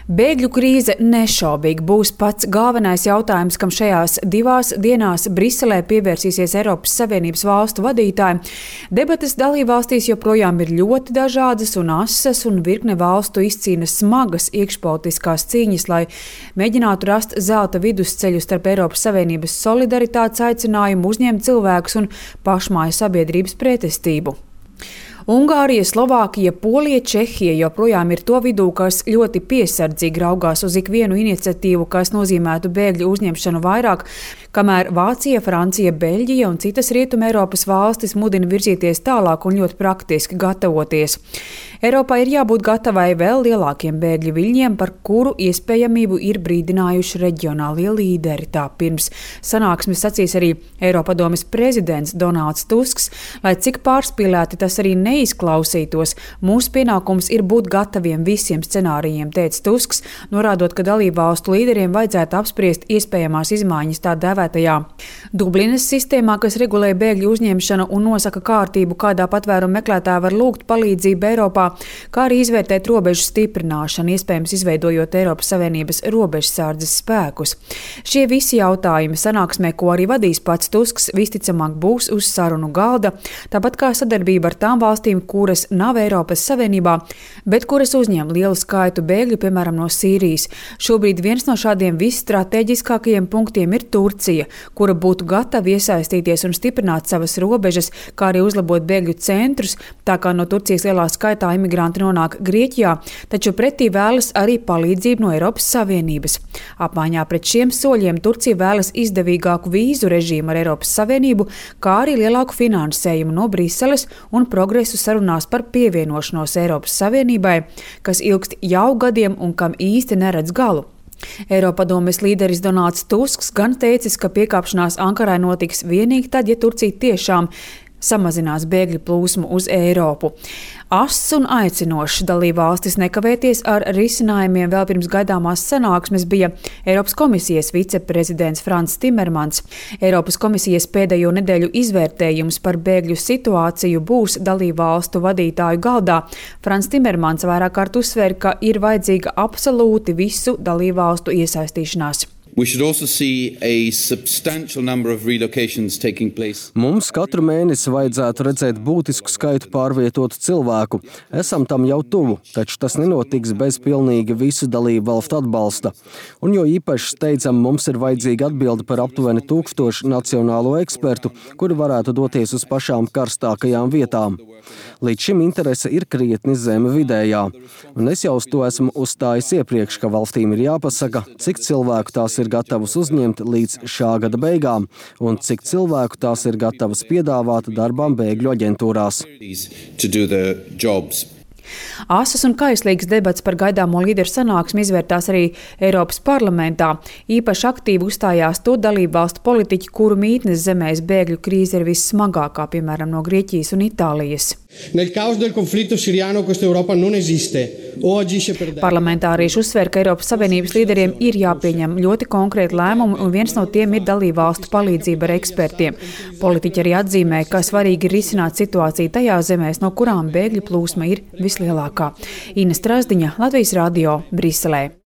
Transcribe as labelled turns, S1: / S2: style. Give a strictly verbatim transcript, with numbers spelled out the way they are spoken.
S1: Bēgļu krīze nešaubīgi būs pats galvenais jautājums, kam šajās divās dienās Briselē pievērsīsies Eiropas Savienības valstu vadītāji. Debates dalībvalstīs joprojām ir ļoti dažādas un asas, un virkne valstu izcīna smagas iekšpolitiskās cīņas, lai mēģinātu rast zelta vidusceļu starp Eiropas Savienības solidaritātes aicinājumu uzņemt cilvēkus un pašmāju sabiedrības pretestību. Ungārija, Slovākija, Polija, Čehija joprojām ir to vidū, kas ļoti piesardzīgi raugās uz ikvienu iniciatīvu, kas nozīmētu bēgļu uzņemšanu vairāk, kamēr Vācija, Francija, Beļģija un citas Rietuma Eiropas valstis mudina virzīties tālāk un ļoti praktiski gatavoties. Eiropā ir jābūt gatavai vēl lielākiem bēgļu viļņiem, par kuru iespējamību ir brīdinājuši reģionālie līderi. Tā pirms sanāksmes sacīs arī Eiropadomes prezidents Donalds Tusks, lai cik pārspīlēti tas arī ne Neizklausītos. Mūsu pienākums ir būt gataviem visiem scenārijiem, teica Tusks, norādot, ka dalībvalstu līderiem vajadzētu apspriest iespējamās izmaiņas tā dēvētajā Dublinas sistēmā, kas regulē bēgļu uzņemšanu un nosaka kārtību, kādā patvērumu meklētāji var lūgt palīdzību Eiropā, kā arī izvērtēt robežu stiprināšanu, iespējams izveidojot Eiropas Savienības robežsardzes spēkus. Šie visi jautājumi sanāksmē, ko arī vadīs pats Tusks, visticamāk būs uz sarunu galda, tāpat kā sadarbība ar tām valstīm, kuras nav Eiropas Savienībā, bet kuras uzņem lielu skaitu bēgļu, piemēram, no Sīrijas. Šobrīd viens no šādiem visstrateģiskākajiem punktiem ir Turcija, kura būtu gatava iesaistīties un stiprināt savas robežas, kā arī uzlabot bēgļu centrus, tā kā no Turcijas lielā skaitā imigranti nonāk Grieķijā, taču pretī vēlas arī palīdzību no Eiropas Savienības. Apmaiņā pret šiem soļiem Turcija vēlas izdevīgāku vīzu režīmu ar Eiropas Savienību, kā arī lielāku finansējumu no Briseles un progresu sarunās par pievienošanos Eiropas Savienībai, kas ilgst jau gadiem un kam īsti neredz galu. Eiropadomes līderis Donalds Tusks gan teicis, ka piekāpšanās Ankarai notiks vienīgi tad, ja Turcija tiešām samazinās bēgļu plūsmu uz Eiropu. Ass un aicinošs dalībvalstis nekavēties ar risinājumiem vēl pirms gaidāmās sanāksmes bija Eiropas komisijas viceprezidents Frans Timermans. Eiropas komisijas pēdējo nedēļu izvērtējums par bēgļu situāciju būs dalībvalstu vadītāju galdā. Frans Timermans vairāk kārt uzsver, ka ir vajadzīga absolūti visu dalībvalstu iesaistīšanās.
S2: Mums katru mēnesi vajadzētu redzēt būtisku skaitu pārvietotu cilvēku. Esam tam jau tuvu, taču tas nenotiks bez pilnīgi visu dalību valstu atbalsta. Un jo īpaši steidzam mums ir vajadzīga atbilde par aptuveni tūkstošu nacionālo ekspertu, kuri varētu doties uz pašām karstākajām vietām. Līdz šim interese ir krietni zeme vidējā. Un es jau uz to esmu uzstājis iepriekš, ka valstīm ir jāpasaka, cik cilvēku tās ir gatavas uzņemt līdz šā gada beigām un cik cilvēku tās ir gatavas piedāvāt darbām bēgļu aģentūrās.
S1: Asas un kaislīgas debats par gaidāmo līderu sanāksmi izvērtās arī Eiropas parlamentā. Īpaši aktīvi uzstājās to dalībvalstu politiķi, kuru mītnes zemēs bēgļu krīze ir vissmagākā, piemēram, no Grieķijas un Itālijas. Parlamentārieši uzsver, ka Eiropas Savienības līderiem ir jāpieņem ļoti konkrēti lēmumi, un viens no tiem ir dalībvalstu palīdzība ar ekspertiem. Politiķi arī atzīmē, ka svarīgi ir risināt situāciju tajās zemēs, no kurām bēgļu plūsma ir vislielākā. Ina Strasdiņa, Latvijas radio, Briselē.